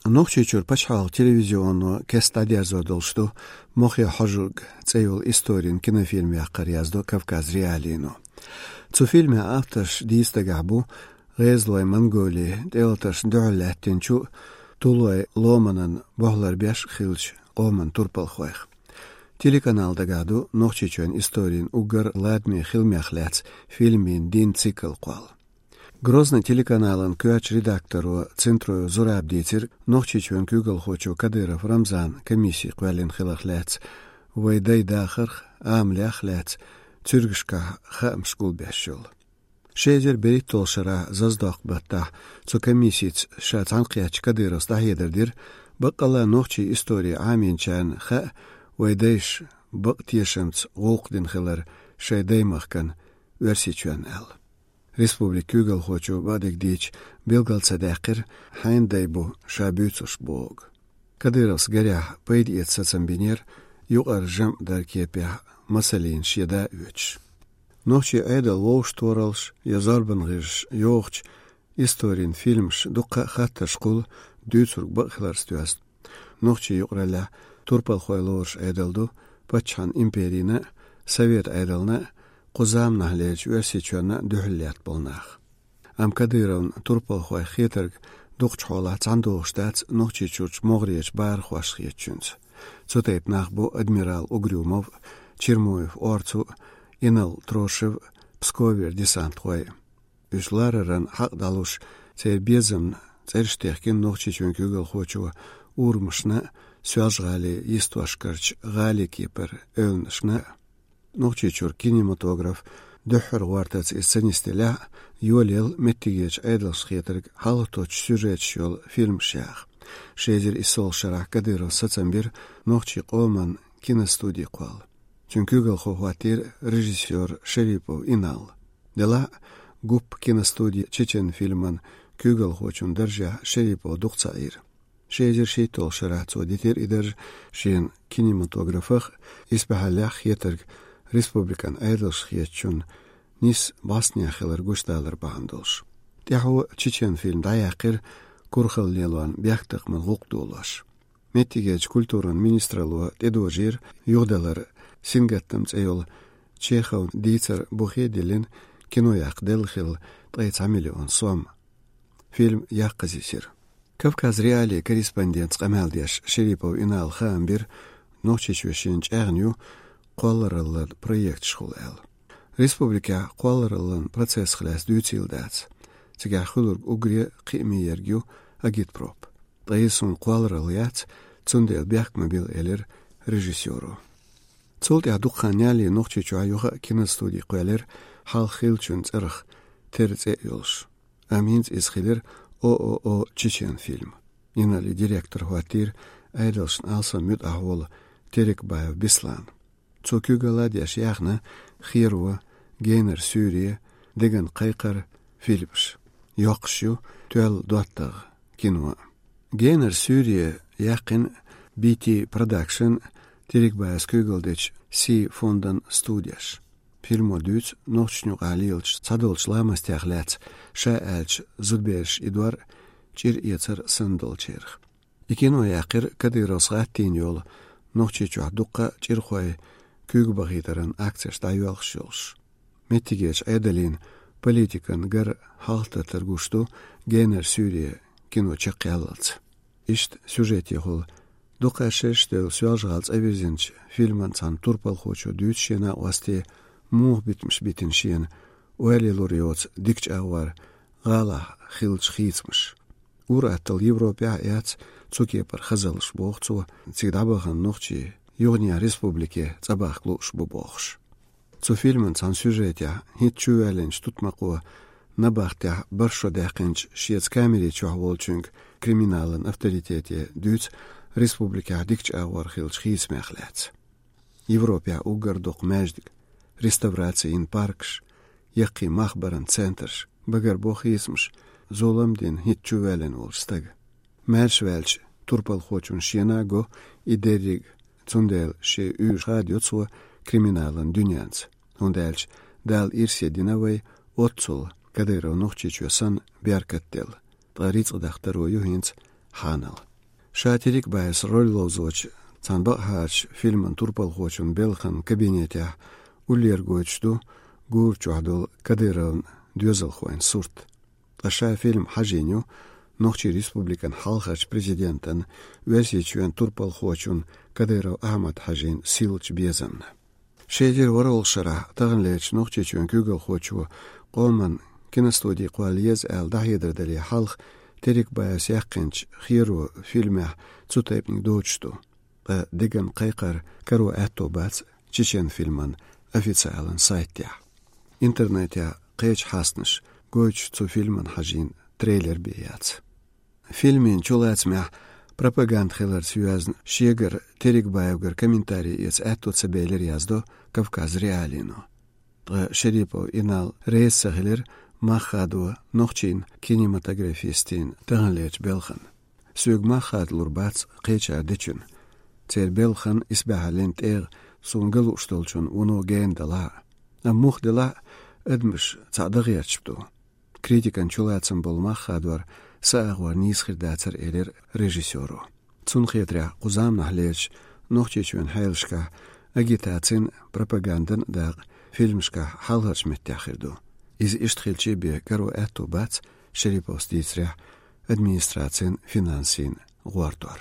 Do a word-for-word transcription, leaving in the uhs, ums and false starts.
Нохчийчуьра пачхьалкхан телевизионо кеста дӀадерзор долуш ду «Мохе хьожург» цӀе йолу историн кинофильм яккхар, яздо Кавказ.Реалиино. Цу фильмехь авторш дийца дагахь бу гӀезалойн Монголин тӀелатаршна дуьхьал лаьттинчу тулойн ломанан бохь ларбеш хиллачу къоман турпалхойх. Телеканал дагахь ду Нохчийчоьнан историн уггар ладаме хиламех лаьцна фильмийн дийнан цикл кхолла. Грозный телеканалан коьртачу редакторо Центроев Зураба дийцира Нохчийчоьнан куьйгалхочо Кадыров Рамзана комисси кхоьллина хиларх лаьцна, вайн дайн дахарх, амалех лаьцна цуьргашкахь хаамаш гулбеш йолу. Ши эзар берхӀитталгӀачу шарахь Зазадоккху баттахь цу комиссица ша цхьаьнакхеттачу Кадыровс дӀахьедар дира, баккъалла нохчийн истори Ӏамийначарна хаьа вайн дайша бакъ тешамца гӀуллакх дина хилар шайн даймахкана, Оьрсийчоьнна аьлла. Республикан куьйгалхочо бакъдерг дийцича, билгал ца даьккхира, хьенан дай бу ша буьйцурш бохург. Кадыровс гарехь пайда эца сацам бинера, юкъара жамӀ даран кепехь масаллина шен да оьцуш. Нохчийн Ӏедал вовшахтохараллаш я зорбан гӀирсаш йохучу историн фильмаш дуккха а хаттарш кхуллу, дуьйцург бакъ хиларца доьзна. Нохчийн юкъараллехь турпалхой лоруш Ӏедал ду, паччахьан империна а, совет Ӏедална а, кху заманахьлерчу Оьрсийчоьнна а дуьхьал лаьтта болу нах. Амма Кадыровна турпалхойх хетарг дукхачу хьолахь цхьаьна догӀуш дац Нохчийчуьрчу могӀарерчу бахархошна хетачуьнца. Цу тайпа нах бу адмирал Угрюмов, Чермоев Орцу, Инал Трошев, Псковера десантхой. Уьш лараран хьакъ дӀалуш, церан безамна цӀераш техкина Нохчийчоьнан куьйгалхочо урамашна а, Соьлжа-ГӀалин йистошкарчу гӀалин кепара эвланашна а. Нохчийчуьра кинематограф дуьххьара гӀортарца иза ца нисделлехь а, йолаелла меттигерчу Ӏедалшна хетарг хьалхатоттучу сюжеташ йолу фильмаш яха. Ши эзар иссалгӀачу шарахь Кадыровс сацам бира нохчийн къоман киностуди кхолла. Цуьнан куьйгалхо хӀоттийра режиссёр Шерипов Инал. Делахь а, ГУП киностуди чечен фильман куьйгалхочун даржехь Шерипов дукха ца Ӏийра. Ши эзар шийтталгӀачу шарахь цо дитира и дарж шен кинематографах а, исбаьхьаллехь хетарг республикан Ӏедалшна хетачунна нийса бӀостанехьа хилар гучудалар бахьана долуш. ТӀаьхьо чечен фильм дӀаяьккхира курхалла лелорна бехктакхаман гӀуллакх долош. Меттигерчу культуран министралло тӀедожийра юхадалар «Сингаттам» цӀе йолу Чеховн дийцар бухе а диллина, кино яккха делла хилла ткъе цхьа миллион сом. Фильм яккха зисира. Кавказ.Реалиин корреспондентца къамел деш Шерипов Инала хаам бира, Нохчийчоь шена чӀагӀна ю кхоллараллан проекташхула аьлла. Республикехь кхоллараллан процессах лаьцна дуьйцийла дац. Цигахь хуьлург уггаре а кхиаме ерг ю агитпроп. Ткъа иза суна кхолларалла яц, цундела бехк ма билла, элира режиссёро. Цул тӀаьхьа дукха хан ялале Нохчийчохь юха а киностуди кхоьллира, хьалха хиллачун цӀарах тера цӀе а йолуш. Амма хӀинца иза хилира ООО «Чечен фильм». Иналин директор хӀоттийра Ӏедалшна алсам муьтӀахь волу Терекбаев Беслан. Цо куьйгалла а деш яьхна «Херо», «Генара суьйре», «Деган кхайкхар» фильмаш. Йоккхуш ю «Тоьлла доттагӀа» кино. «Генара суьйре» яьккхина «Би Ти Продакшн», Терекбаевс куьйгалла дечу «Си» фондан студеш. Фильмо дуьйцу нохчашна юкъахь лелачу цхьадолчу ламастех лаьцна, ша аьлча, зудабераш идор, чӀир эцар санна долчарах. И кино яьккхира Кадыровс гӀаттийна йолу, Нохчийчохь дуккха а чӀирхой куьйга бахийтаран акцеш дӀайоьлхуш йолуш. Меттигерчу Ӏедалан политикан гар хьалхататтар гуш ду «Генара суьйре» кино чекхъяллалц. Иштта сюжетехула, дукха шераш девлла Соьлжа-ГӀала цӀа вирзинчу фильман цхьана турпалхочо дуьйцу шен накъостий, муха битамаш битина шена, ойла лур йоцу дикачу агӀор гӀалахь хиллачу хийцамаш. Ур-атталла Европехь а яц цу кепара хазаллаш, боху цо, цига дӀабахана нохчий юханехьа республике цӀа бахка лууш бу бохуш. Цу фильман цхьана сюжетехь хӀинцца чувоьллинчу тутмакхо набахтехь бархӀ шо даьккхинчу шеца камери чохь волчуьнга, криминалан авторитете, дуьйцу республикехь дикачу агӀор хиллачу хийцамех лаьцна. Европехь уггар доккха маьждиг, реставраци йина паркаш, яккхий мах баран центраш, багарбо хийцамаш, зулам дина хӀинцца чувоьллина волчу стага. Маьрша ваьлча, турпалхочунна шена а го и дерриг, цундела шен уьйраш хадайо цо криминалан дуьненца, хӀунда аьлча Дала ирсе дина вай оццул, Кадыров Нохчийчоь санна, беркат делла, ткъа рицкъ дахтаро ю хӀинца хьанал. Ша Терекбаевс роль ловзочу цхьана бакъахьарчу фильман турпалхочун белхан кабинетехь уллера гойтуш ду гура чохь долу Кадыровн доьзалхойн сурт. Ткъа ша фильм хьажийна ю Нохчийн Республикан хьалхарчу президентан, Оьрсийчоьнан турпалхочун Кадыров Ахьмад-Хьаьжин сийлачу безамна. Ши эзар ворхӀалгӀачу шарахь таханлерчу Нохчийчоьнан куьйгалхочо къоман киностуди кхолла еза аьлла дӀахьедар дале хьалха Терекбаевс яьккхинчу «Херо» фильмехь цу тайпаниг доцуш ду. Ткъа деган кхайкхар каро аьтто бац Чечен фильман официалан сайтехь. Интернетехь кхечу хьастанаша гойтуш цу фильман хьажийна трейлер бен яц. Фильмийн чулацамехь пропаганда хиларца йоьзна шегара Терекбаевгара комментари эца аьтто ца белира, яздо Кавказ.Реалиино. Ткъа Шерипов Инал реза ца хилира мах хадо нохчийн кинематографистийн таханлерчу белхан. Соьга мах хадалур бац кхечара дечун. Церан белхан исбаьхьаллин тӀегӀа суна ган лууш долчун вуно гена далахь а. Амма муха делахь а, адамаш цхьаъ дан гӀерташ бу. Критикан чулацам болу мах хадор са агӀор нийса хир дацара, элира режиссёро. Цунна хетарехь, кху заманахь лерчу Нохчийчоьнан хьелашкахь агитацин, пропагандин дакъа фильмашкахь хьалхарчу меттехь хир ду. Иза иштта хилчий бен каро аьтто бац, Шериповс дийцарехь, администрацин финансийн гӀортор.